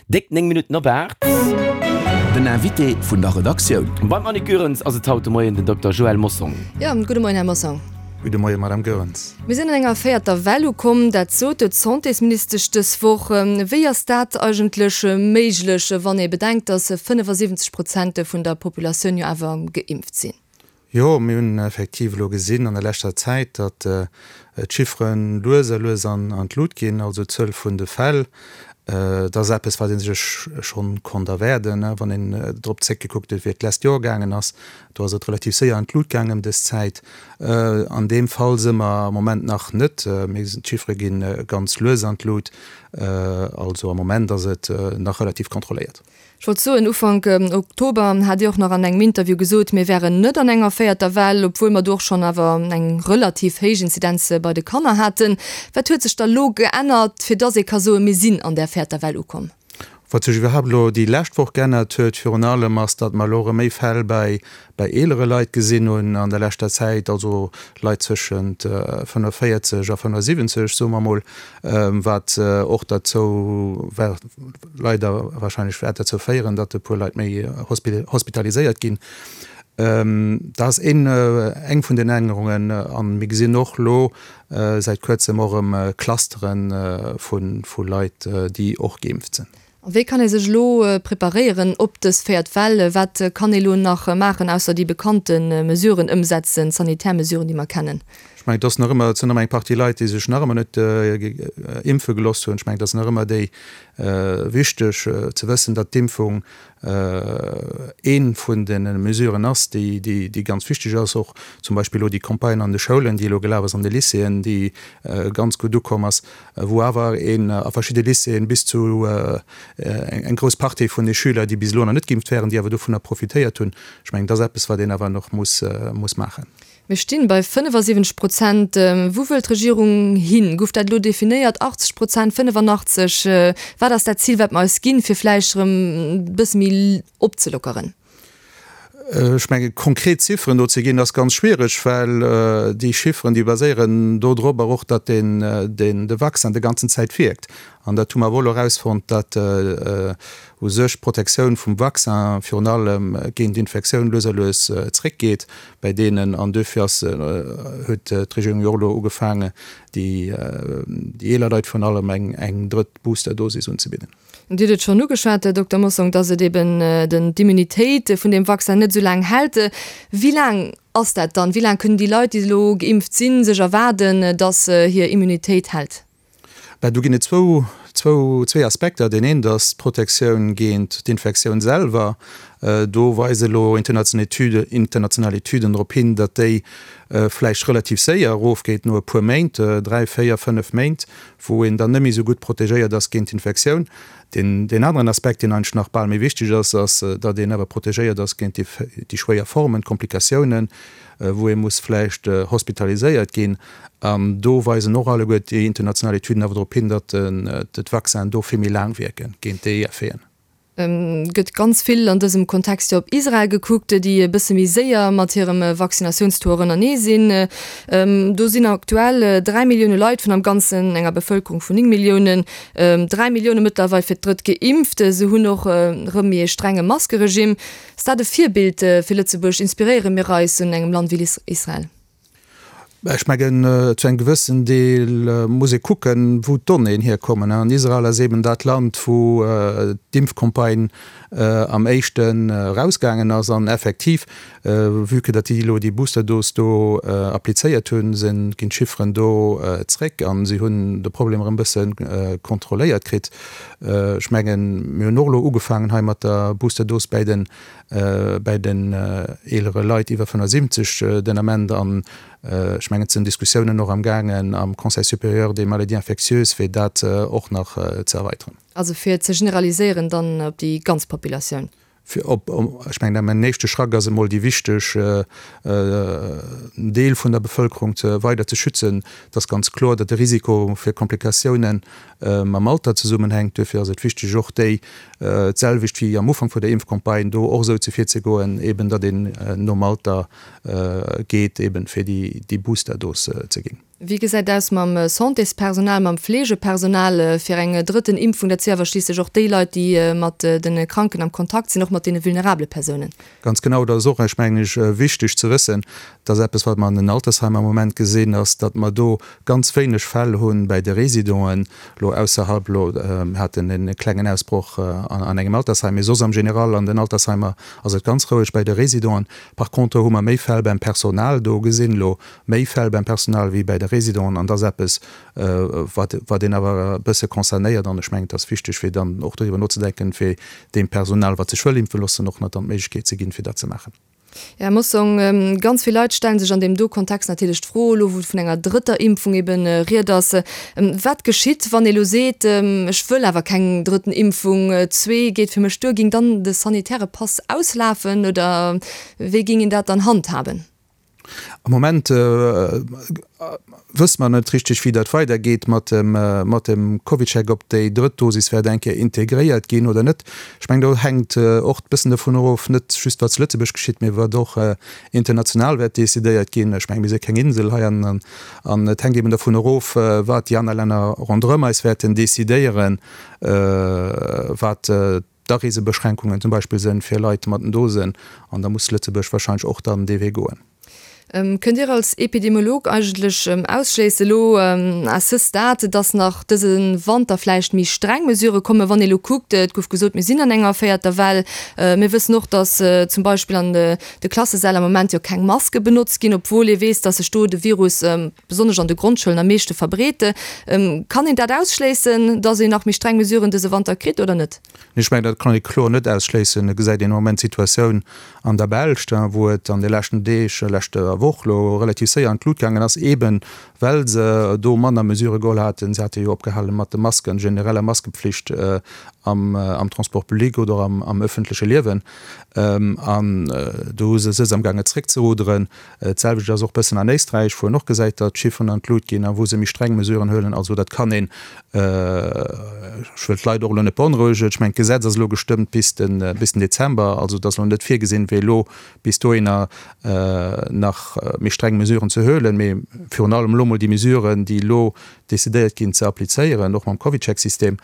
Déck 9 Minutten op 8. Den Invité vun der Redaktioun. Beim Annick Goerens ass et haut de Moien den Dokter Joël Mossong. Jo, gudde Moien, Här Mossong. Gudde Moien, Madame Goerens. Mir sinn an enger véierter Well ukomm, dat sot d'Santésministesch dës Woch. Wéi ass dat eigentlech méiglech, wann ee bedenkt, datt 75 Prozent vun der Populatioun jo awer geimpft sinn? Jo, mir hunn effektiv elo gesinn an der leschter Zäit, datt d'Chiffere lues a lues an d'Lut ginn, also d'Zuel vun de Fäll. Dat ass eppes, wat ee sech schonn konnt erwaarden, wann een drop zréckgekuckt huet, wéi et d'lescht Joer gaangen ass. Do ass et relativ séier an d'Lut gaangen ëm dës Zäit. An deem Fall si mer am Moment nach net. D'Chiffere gi ganz lues an d'Lut. Also am Moment ass et nach relativ kontrolléiert. Ech wollt soen, Ufank Oktober hat Dir och nach an engem Interview gesot, mir wären net an enger véierter Well, obwuel mer do och schonn awer eng relativ héich Inzidenz bei de Kanner haten. Wat huet sech da lo geännert, fir dass ee ka soen, mir sinn an där véierter Well ukomm? Wat sech iwwerhaapt elo déi lescht Woch geännert huet virun allem, ass, datt mer elo erëm méi Fäll bei bei eelere Leit gesinn hunn an der leschter Zäit, also Leit zwëschent 45 a 75, soe mer emol, wat och derzou leider wahrscheinlech wäert derzou féieren, datt e puer Leit méi hospitaliséiert ginn. Dat ass een, eng vun den Ännerungen. A mir gesinn och elo säit Kuerzem och erëm Clustere vu Leit, déi och geimpft sinn. A wéi kann ee sech elo preparéieren op dës véiert Well? Wat kann ee lo nach maachen, ausser déi bekannte Mesuren ëmsetzen, d'sanitär Mesuren, déi mer kennen? Ech mengen, et ass nach ëmmer, et sinn nach ëmmer eng Partie Leit, déi sech nach ëmmer net impfe gelooss hunn. Ech mengen, et ass nach ëmmer déi wichteg ze wëssen, datt d'Impfung ee vun de Mesuren ass, déi ganz wichteg ass. Och zum Beispill elo déi Campagne an de Schoulen, déi elo gelaf ass, an de Lycéeën, déi ganz gutt ukomm ass, wou awer een a verschidde Lycéeën bis zu eng grouss Partie vun de Schüler, déi bis elo nach net geimpft wären, déi awer dovunner profitéiert hunn. Ech mengen, dat ass eppes, wat een awer nach muss maachen. Mir stinn bei 75 Prozent. Wou wëll d'Regierung hin? Gouf dat elo definéiert? 80 Prozent, 85? Wat ass dat Zil, wat mer eis ginn, fir vläicht erëm e bësse méi opzelockeren? Ech menge konkret Zifferen do ze ginn, ass ganz schwiereg, well déi Chifferen, déi baséieren dodropper och, datt den de Vaccin de ganzen Zäit wierkt. An dat hu mer awer och elo erausfonnt, datt u sech d'Protektioun vum Vaccin virun allem géint d'Infektioun lues a lues zréckgeet bäi deenen. An duerfir ass, huet d'Regierung jo och elo ugefaangen, déi eeler Leit virun allem eng drëtt Boosterdosis unzebidden. Dir hutt et schonn ugeschwat, Här Dokter Mossong, datt et eben den, d'Immunitéit vun deem Vaccin net esou laang hält. Wéi laang ass dat dann? Wéi laang kënnen déi Leit, déi elo geimpft sinn, sech erwaarden, datt hir Immunitéit hält? Ben, do ginn et zwou, zwou, zwee Aspekter. Deen eent ass d'Protektioun géint d'Infektioun selwer. Do weise elo international Etüden drop hin, datt déi vläicht relativ séier erofgeet no e puer Méint, dräi, véier, fënnef Méint, wou een dann net méi esou gutt protegéiert ass géint d'Infektioun. Deen, deen aneren Aspekt, deen eigentlech nach bal méi wichteg ass, ass, datt een awer protegéiert ass géint déi, déi schwéier Formen, d'Komplikatiounen, wou ee muss vläicht hospitaliséiert ginn. An do weisen och alleguer déi international Etüden awer drop hin, datt d'Vaccinen do vill méi laang wierken géint déi Effeten. Gëtt ganz vill an dësem Kontext jo op Israel gekuckt, déi e bësse méi séier mat hirem Vaccinatiounstour ënnerneë sinn. Do sinn aktuell 3 Millioune Leit vun am Ganzen enger Bevëlkerung vun 9 Milliounen, 3 Millioune mëttlerweil fir d'drëtt geimpft. Se hunn och erëm méi ee strenge Maskeregimm. Ass dat e Virbild fir Lëtzebuerg? Inspiréiere mir eis un engem Land wéi Israel? Ech mengen, zu engem gewëssen Deel muss ee kucken, wou d'Donnéeën hierkommen. An Israel ass eeben dat Land, wou d'Impfcampagne am éischten erausgaangen ass. An effektiv, vue que datt déi elo déi Boosterdos do applizéiert hunn, sinn, ginn d'Chifferen do zréck a si hunn de Problem erëm e bësse kontrolléiert kritt. Ech mengen, mir hunn och elo ugefaangen hei mat der Boosterdos bäi den bäi den eelere Leit iwwer 75 den Ament. An ech mengen, et sinn Diskussiounen och amgaangen am Conseil supérieur des maladies infectieuses, fir dat och nach ze erweiteren. Also fir ze generaliséieren dann op déi ganz Populatioun? Fir op, ech mengen, mäin éischte Schrack ass emol déi wichteg Deel vun der Bevëlkerung ze weider ze schützen. Et ass ganz kloer, datt de Risiko fir Komplikatiounen mam Alter zesummenhänkt. Duerfir ass et wichteg, och déi, d'selwecht wéi am Ufank vun der Impfcampagne, do och esou ze virzegoen, eben datt een nom Alter geet, eben fir déi Boosterdos ze ginn. Wéi gesäit et aus mam Santéspersonal, mam Fleegepersonal fir eng drëtten Impfung? Dat si awer schliisslech och déi Leit, déi mat de Kranken am Kontakt sinn, och mat deene vulnerabele Persounen. Ganz genau, dat ass och, ech mengen ech, wichteg ze wëssen. Dat ass eppes, wat mer an den Altersheimer am Moment gesinn, ass, datt mer do ganz wéineg Fäll hu bäi de Residenten, elo ausserhalb, elo mir haten e klengen Ausbroch an engem Altersheim, mee soss am General an den Altersheimer ass et ganz roueg bäi de Residenten. Par contre hu mer méi Fäll beim Personal do gesinn elo, Méi Fäll beim Personal wéi bäi de Résidenten, an dat ass eppes, wat, wat een awer e bësse concernéiert. An ech mengen, et ass wichteg, fir dann och doriwwer nozedenken, fir deem Personal, wat sech wëll impfe loossen, och nach dann d'Méiglechkeet ze ginn, fir dat ze maachen. Här Mossong, ganz vill Leit stelle sech an deem do Kontext natierlech d'Fro, elo wou vun enger drëtter Impfung ebe Ried ass, Wat geschitt, wann ee elo seet, ech wëll awer keng drëtten Impfung, zwee geet fir mech duer? Géing dann de sanitäre Pass auslafen oder wéi géing een dat dann handhaben? Am Moment wësse mer net richteg, wéi dat weidergeet mat dem, mat dem CovidCheck, ob déi drëtt Dosis wäert eng Kéier integréiert ginn oder net. Ech mengen, do hänkt och e bëssen dovun erof, net just wat zu Lëtzebuerg geschitt, mee wat och international wäert decidéiert ginn. Ech mengen, mir si keng Insel hei an an et hänkt eben dovun erof, wat déi aner Länner ronderëm eis wäerten decidéieren, wat d'Areesebeschränkungen zum Beispill sënn fir Leit mat den Dosen, an da muss Lëtzebuerg wahrscheinlech och dann dee Wee goen. Kënnt Dir als Epidemiolog eigentlech ausschléissen elo à ce stade, dass nach dëse Wanter vläicht méi streng Mesurë kommen, wann ee elo kuckt, et gouf gesot, mir sinn an enger véierter Well, mir wëssen och, dass zum Beispill an de Klassesäll am Moment jo keng Maske benotzt ginn, obwuel ee weess, dass sech do de Virus besonnesch an de Grondschoulen am meeschte verbreet. Kann een dat ausschléissen, datt een nach méi streng Mesuren dëse Wanter kritt oder net? Nee, ech mengen, dat kann ee kloer net ausschléissen. Et gesäit een am Moment d'Situatioun an der Belsch, wou et an de leschten Deeg, leschter Woch elo relativ séier an d'Lut gaangen ass, eeben well se do manner Mesurë geholl haten. Se hate jo opgehale mat de Masken, genereller Maskepflicht am Transport public oder am ëffentleche Liewen. An do hu se se amgaange zréckzeruderen. D'selwecht ass och bëssen an Éisträich, wou een och gesäit, datt d'Chifferen an d'Lut ginn a wou se méi streng Mesuren huelen. Also dat kann een, ech wëll d'Leit och elo net beonrouegen, ech mengen d'Gesetz ass elo gestëmmt bis den bis den Dezember, also et ass elo net virgesinn, fir elo bis dohinner nach méi streng Mesuren ze huelen, mee virun allem elo mol déi Mesuren, déi elo decidéiert ginn, ze applizéieren, och mam CovidCheck-System.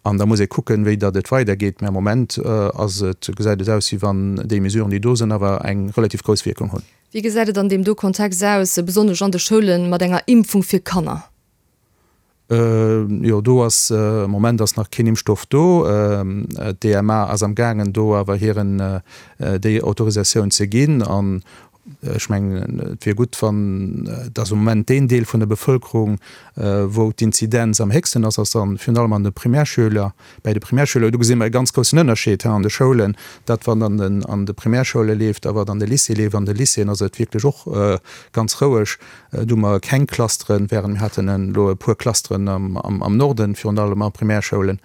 An da muss ee kucken, wéi datt et weidergeet. Mä am Moment ass et, gesäit et aus, wéi wann déi Mesuren, déi do sinn, awer eng relativ grouss Wierkung hunn. Wéi gesäit et an deem do Kontext aus, besonnesch an de Schoulen, mat enger Impfung fir Kanner? Jo, do ass, am Moment ass nach keen Impfstoff do. D'EMA ass am gaangen, do awer hiren, déi Autorisatioun ze ginn. An Ech mengen, et wier gutt, wann, et ass am Moment deen Deel vun der Bevëlkerung, wou d'Inzidenz am héchsten ass, ass dann virun allem an de Primärschüler, bäi de Primärschüler. Do gesi mer e ganz groussen Ënnerscheed an de Schoulen, dat wat an den an de Primärschoule leeft a wat an de Lycéeë leeft. An de Lycéeën ass et wierklech och ganz roueg. Do hu mer keng Clusteren, während mir haten elo e puer Clusteren am am Norden, virun allem a Primärschoulen.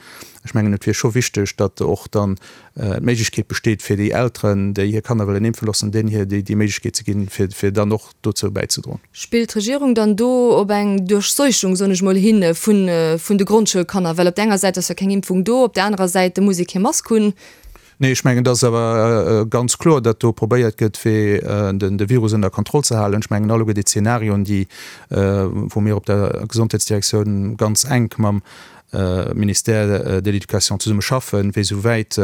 Ech mengen, et wier scho wichteg, datt och dann d'Méiglechkeet besteet fir déi Elteren, déi hir Kanner wëllen impfe loossen, deenen hir déi Méiglechkeet ze ginn, fir fir dann och dozou bäizedroen. Spillt d'Regierung dann do op eng Duerchseuchung, soen ech mol, hin vun vun de Grondschoulkanner? Well op der enger Säit ass jo keng Impfung do, op der anerer Säit muss ee kee Mask hunn. Nee, ech mengen, et ass awer ganz kloer, datt do probéiert gëtt, fir den de Virus ënner Kontroll ze halen. Ech mengen, alleguer déi Zenarioen, déi wou mir op der Gesondheetsdirektioun ganz enk mam Ministère de l'Éducation zesumme schaffen, fir esouwäit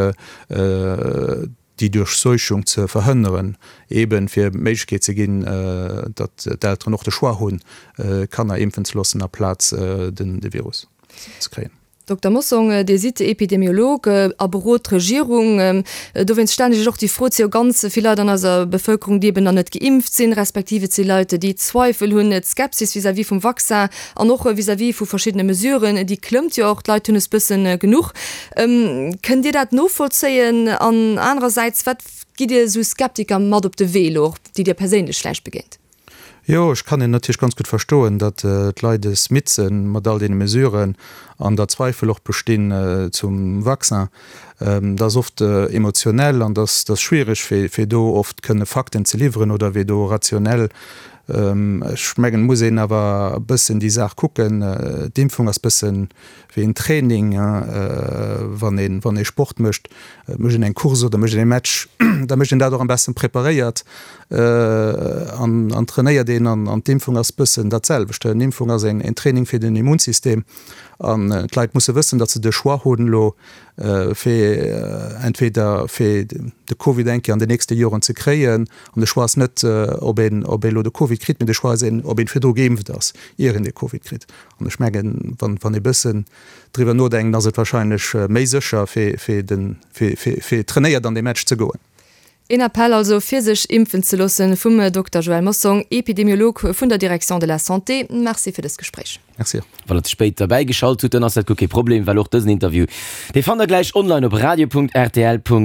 déi Duerchseuchung ze verhënneren, eeben fir d'Méiglechkeet ze ginn, datt d'Elteren och de Choix hunn, d'Kanner impfen ze loossen aplaz de Virus ze kréien. Dokter Mossong, Dir sidd Epidemiolog a berot d'Regierung. Dowéinst stellen ech Iech och déi Fro. Et si jo ganz vill Leit an eiser Bevëlkerung, déi eben nach net geimpft sinn, respektiv et si Leit, déi Zweifel hunn, d'Skepsis vis-à-vis vum Vaccin an och vis-à-vis vu verschiddene Mesuren, déi klëmmt jo och. D'Leit hunn es bëssen genuch. Kënnt Dir dat novollzéien? An anerersäits, wat gitt Dir esou Skeptiker mat op de Wee elo, och déi Dir perséinlech vläicht begéint? Jo, ech kann een natierlech ganz gutt verstoen, datt d'Leit es midd sinn mat all deene Mesuren an datt Zweifel och bestinn zum Vaccin. Dat ass oft emotionell an dat ass schwiereg, fir do oft kënne Fakten ze liwweren oder fir do rationell. Ech mengen, et muss een awer e bëssen déi Saach kucken. D'Impfung ass bëssen wéi en Training, wann een, wann ee Sport mécht, mécht een eng Course oder mécht een e Match, da mécht een dat och am besten preparéiert an an trainéiert een. An d'Impfung ass bëssen dat selwecht. Eng Impfung ass een Training fir den Immunsystem an d'Leit musse wëssen, datt se de Choix hunn elo fir entweder fir de Covid eng Kéier an den nächste Joren ze kréien, an de Choix ass net, ob een, ob ee elo de Covid kritt, mee de Choix ass een, ob een virdru geimpft ass, ier een de Covid kritt. An ech mengen, wann, wann ee bëssen driwwer nodenkt, ass et wahrscheinlech méi sécher, fir, fir den, fir, fir, fir trainéiert an dee Match ze goen. Een Appell also, fir sech impfen ze loossen, vum Dokter Joël Mossong, Epidemiolog vun der Direction de la Santé. Merci fir dëst Gespréich. Merci och. Wann der ze spéit derbäi geschalt hutt, dann ass dat guer kee Problem, well och dësen Interview, dee fannt der gläich online op radio.rtl.lu.